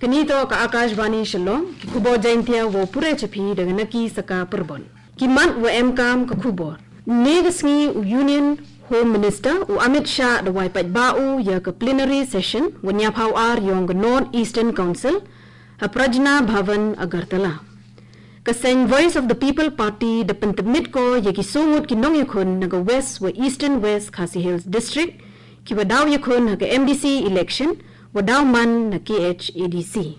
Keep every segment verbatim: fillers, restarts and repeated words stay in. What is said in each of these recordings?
Nito ka Akashvani Shillong, ki khubor Jaintia wo pure chapi daga naki saka perbon. Ki mat wa emkam ka khubor. Ne ga sngi u Union Home Minister u Amit Shah da wai pait ba u ya ka plenary session wa nyapau ar yong ka North Eastern Council ha Prajna Bhavan Agartala. Ka seng Voice of the People Party da pentemit ko ya ki sungut ki nong yakhun na ka West wa Eastern West Khasi Hills District, ki wa daw yakhun ha ka M D C election, wa daw man na K H A D C.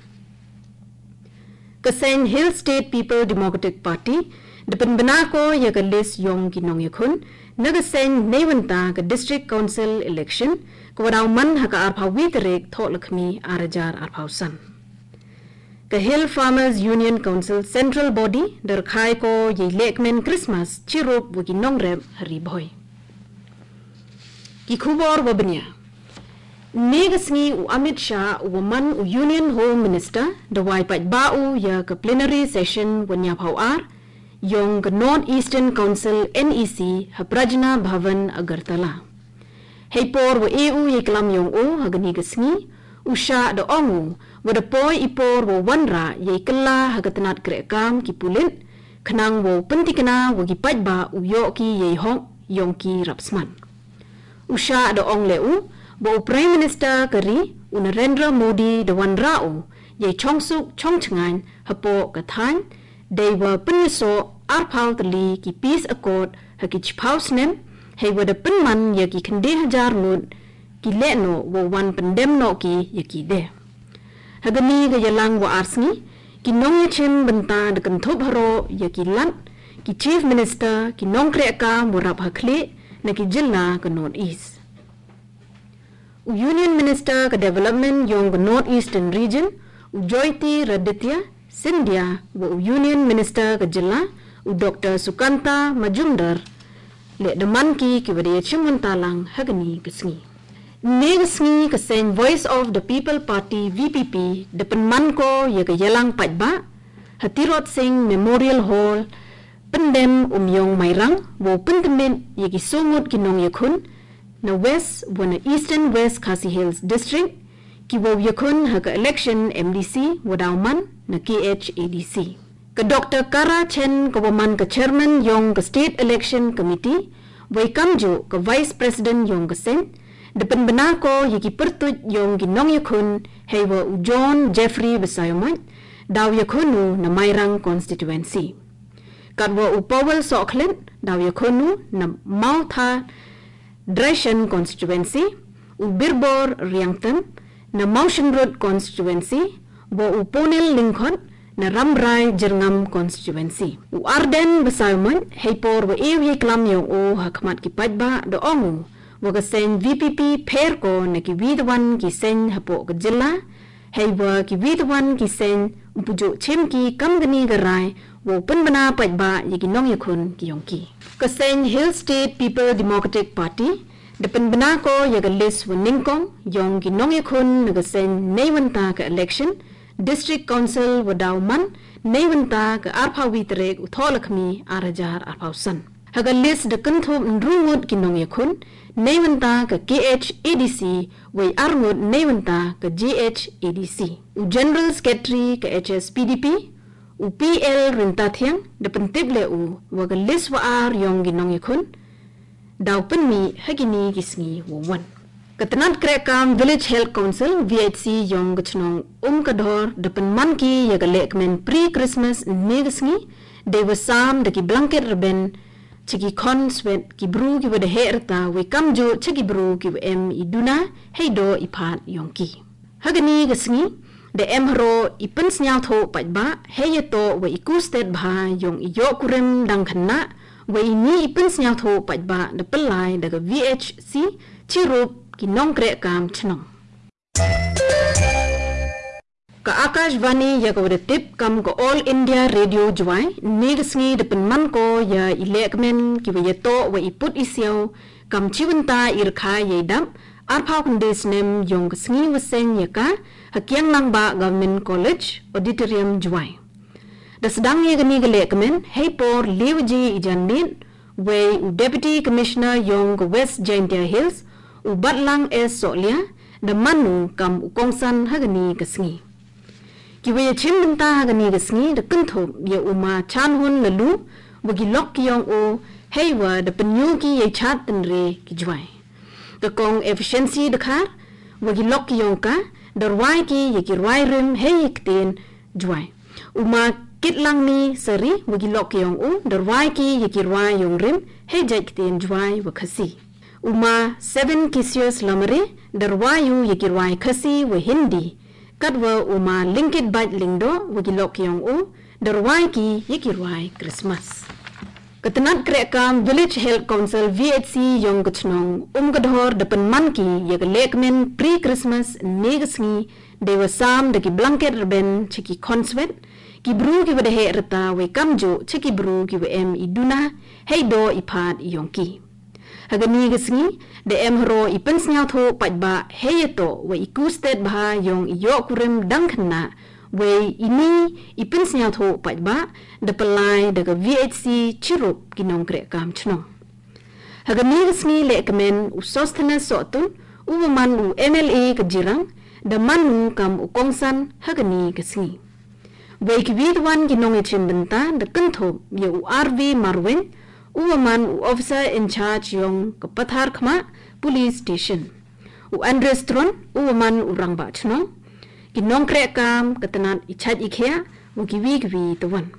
Ka seng Hill State People Democratic Party, da penbena ko ya ka list yong ki nong yakhun, na ka seng neiwanta ka District Council election, ka wa daw man ha ka arpau wi tarik Thoh Lakhmi arajar arpau san. Ka Hill Farmers Union Council Central Body, da rkhai ko ya i lekmen Christmas, chirup wa ki nong rep ha Ri Bhoi. Ki khubor wa benya. Ne ga sngi u Amit Shah u wa man u Union Home Minister da wai pait ba u ya ka plenary session wa nyapau ar yong ka North Eastern Council N E C ha Prajna Bhavan Agartala. Hei por wa e u ya i klam yong u ha gani ga sngi, u Shah da ong u wa da poi i por wa wanra ya i kla ha ka tnat kreh kam ki pulit, khnang wa u pyntikna wa ki pait ba u yoh ki ya i hok yong ki rap sman. U Shah da ong le u, ba u Prime Minister ka ri, u Narendra Modi da wanra u, ya i chongsuk chongchngain, hapoh ka thain, dei wa pynyasoh arpau tylli ki peace accord ha ki chipau snem, hei wa da pynman ya ki khyndai hajar ngut ki lehnoh wa wan pyndem noh ki ya ki de. Ha gani ga yalang wa ar sngi, ki nong yachim bynta da kynthup haroh ya ki lat, ki Chief Minister, ki nongkreh kam wa rap ha khlieh, na ki jylla ka North East. U Union Minister ka Development yong ka North Eastern Region, u Jyotiraditya Scindia, wa u Union Minister ka jylla, u Doctor Sukanta Majumdar, le da man ki ki wa da yachim bynta lang ha gani ga sngi. Ne ga sngi ka seng Voice of the People Party, V P P, da pynman ko ya ka yalang pait ba ha Tirot Singh Memorial Hall, pyndem um yong Mairang, wa u pyntemit ya ki sungut ki nong yakhun, na West wa na Eastern West Khasi Hills District, ki wa u yakhun ha ka election M D C wa daw man na K H A D C. Ka Doctor Kara Chen ka wa man ka Chairman yong ka State Election Committee, wa i kamjooh ka Vice President yong ka seng, da pynbna ko ya ki pyrtuid yong ki nongyakhun, hei wa u John Jeffrey Basaiawmoit, daw yakhun u na Mairang Constituency. Kat wa u Powell Sohkhlet, daw yakhun u na Mawtha Dreishan Constituency, u Birbor Reangtem, na Mawshynrut Constituency, wa u Ponel Lyngkhot, na Rambrai Jyrngam Constituency. U Ardent Basaiawmoit, hei por wa e u ya i klam yong u ha khmat ki paidbah da ong u, wa ka seng V P P pher ko na ki wi da wan ki seng hapoh ka jylla, hei wa ki wi da wan ki seng u pujooh chim ki kam kani ka rai, wa u pynbna paidbah ya ki nongyakhun ki yong ki. Ka seng Hill State People Democratic Party, da pynbna ko ya ka list wa nyngkong, yong ki nongyakhun na ka seng neibynta ka election, District Council wa daw man, neibynta ka arphaw wi tarik u Thohlakhmi ar hajar arphaw san. Ha ka list da kynthup ynru ngut ki nongyakhun, neibynta ka K H A D C, wa i ar ngut neibynta ka J H A D C. U General Secretary ka H S P D P, u P L Ryntathiang, da pyntip le u, wa ka list wa ar yong ki nongyakhun, daw pynmih ha kini ki sngi wa wan. Ka tnat krehkam Village Health Council, V H C, yong ka chnong Umkadhor, da pynman ki ya ka lehkmen pre-Christmas ynne ka sngi, dei wa sam da ki blanket rben, cha ki khon swet ki bru ki wa da heh rta, wa i kamjooh cha ki bru ki wa em i duna, hei doh i phad yong ki. Ha kani ka sngi, da em haroh i pynsniawthuh paidbah, hei yatoh wa i kustet bha yong i yohkurim dang khynnah, wa i ni i pynsniawthuh paidbah da pynlai da ka V H C, chirup ki nongkrehkam chnong. Ka Akashvani ya ka wa da tip kam ka All India Radio Jowai, ynne ka sngi da pynman ko ya i lehkmen ki wa yatoh wa i put i siaw, kam chibynta i rkhai ya i dap, arphaw khyndai snem yong ka sngi wa seng ya ka, ha Kiang Nangbah Government College, Auditorium Jowai. Da sdang ya kani ka lehkmen, hei por le waje i janmiet, wei u Deputy Commissioner yong ka West Jaintia Hills, u Batlang S Sohlia, da man u kam u kongsan ha kani ka sngi. Kiwe ya chim bynta ha kani ka sngi da kynthup ya u ma Chanhun Lalu wa ki lok ki yong o, heiwa da pynyoki ya chat tynre ki jwai. Ka kong Efficiency Dkhar wa ki lok ki yong ka da rwai ki ya ki rwai rim hei ktien jwai. U ma Kitlangni Sari wa ki lok ki yong o da rwai ki ya ki rwai yong rim hei jait ktien jwai wa Khasi. U ma Seven Kisius Lamare da rwai u ya ki rwai Khasi wa Hindi. Katwa u ma Lingkit Bait Lingdo wa ki lok ki yong o da rwai ki ya ki rwai Christmas. Ka tnat krehkam Village Health Council V H C yong ka chnong Umkadhor da pynman ki ya ka lehkmen pre-Christmas ne ka sngi, dei wa sam da ki blanket rben cha ki khonswet, ki bru ki wa da heh rta wei kamjooh cha ki bru ki wa em i duna hei doh i phad i yong ki. Ha kani ka sngi da em haro i pynsniawthoh paidbah hei ya toh wa i kustet bha yong i yoh kurim dang khynnah, wei ini i pynsniawthoh paidbah da pynlai da ka V H C chirup ki nongkrehkam chnong. Ha kani ka sngi lehkmen u Sosthenes Sohtun u wa man u M L A ka jirang da man u kam u kongsan ha kani ka sngi. Wei ki wi twan ki nong ya chim bynta da kynthup ya u R V Marwin u wa man u Officer in Charge yong ka Patharkhmah Police Station. U Andres Tron u wa man u rangbah chnong. Ki nongkrehkam ka tnat i chait i khia wa ki wi ki wi twan.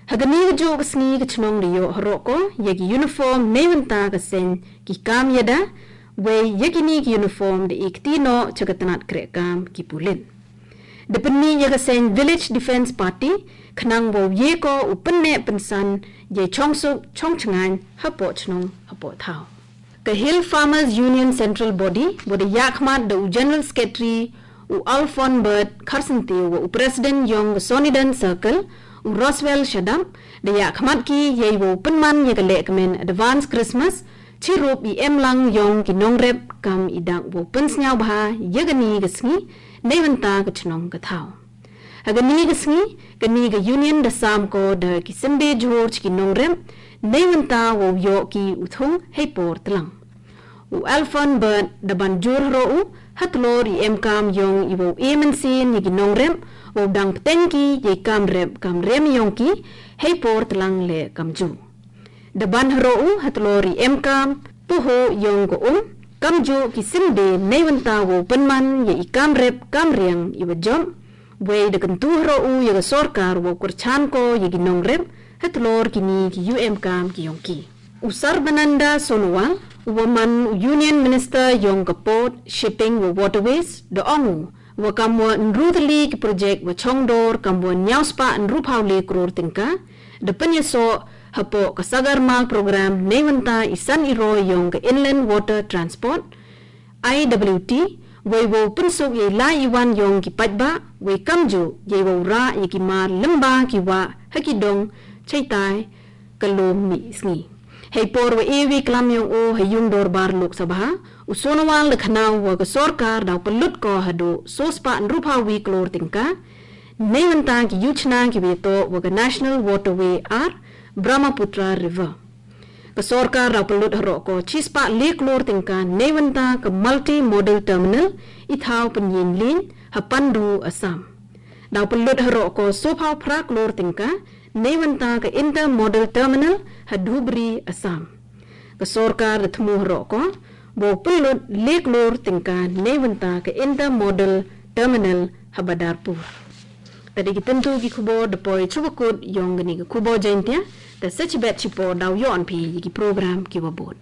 Ha kani ka jooh ka sngi ka chnong da yoh haro ko ya ki uniform nei bynta ka seng ki kam yada, wei ya kini ki uniform da i kti noh cha ka tnat krehkam ki pulit. Da pynmih ya ka seng Village Defence Party khnang wow ye ko u pynneh pynsan ya i chongsuk chongchngain hapoh chnong hapoh thaw. Ka Hill Farmers Union Central Body wa da yahkhmat da u General Secretary u Alphonbert Kharsyntiew wa u President yong ka Sonidan Circle u Roswell Shadap da yahkhmat ki yei wow pynman ya ka lehkmen Advance Christmas chirup i emlang yong ki nongrep kam i dak wow pynsniaw bha ya kani ka sngi nei bynta ka chnong ka thaw. Ha kani ka sngi kani ka union da sam ko da ki symbe jhur cha ki nongrep nei bynta wow yoh ki u thung hei por tlang. U Alphonbert da ban jur haro u ha tlor i emkam yong i wow e mynsiem ya ki nongrep wow dang pteng ki ya i kamrep kamrem yong ki hei por tlang leh kamjooh. Da ban haro u ha tlor i emkam puho yong ka um kamjooh ki symbe nei bynta wow pynman ya i kamrep kamriang i wa jop. Wei da kyntu haro u ya ka sorkar wow kyrchan ko ya ki nongrep ha tlor kini ki u emkam ki yong ki. U Sarbananda Sonowal u wa man u Union Minister yong ka Port, Shipping wa Waterways da ong u wa kam wa ynru tylli ki project wa chongdor kam wa niaw spah ynru phaw le kror tyngka da pynyasoh hapoh ka Sagarmal Program nei bynta i san i roi yong ka Inland Water Transport, I W T, wei wow pynsuk ya i lai i wan yong ki paidbah, wei kamjooh ya i wow rah ya ki mar lyngba ki wah ha ki dong chaitai ka lum mih sngi. Hei por wa e wi klam yong o ha yung dorbar Lok Sabha, u Sonowal da khana u wa ka sorkar daw pynlut ko hadooh so spah ynru phaw wi klor tyngka nei bynta ki yujna ki wa ya toh wa ka National Waterway ar Brahmaputra River. Ka sorkar daw pynlut haro ko chi spah le klor tyngka nei bynta ka Multi Modal Terminal i thaw pynyeng lin ha Pandu, Assam. Daw pynlut haro ko so phaw phra klor tyngka nei bynta ka Inter Modal Terminal ha Dhubri, Assam. Ka sorkar da thmu haro ko wow pynlut le klor tyngka nei bynta ka Inter Modal Terminal ha Badarpur. Ta dei ki tyntu ki khubor da poi chuba kut yong kani ka khubor Jaintia, ta sa chibet chipor daw yoh phi ya ki program ki wa bud.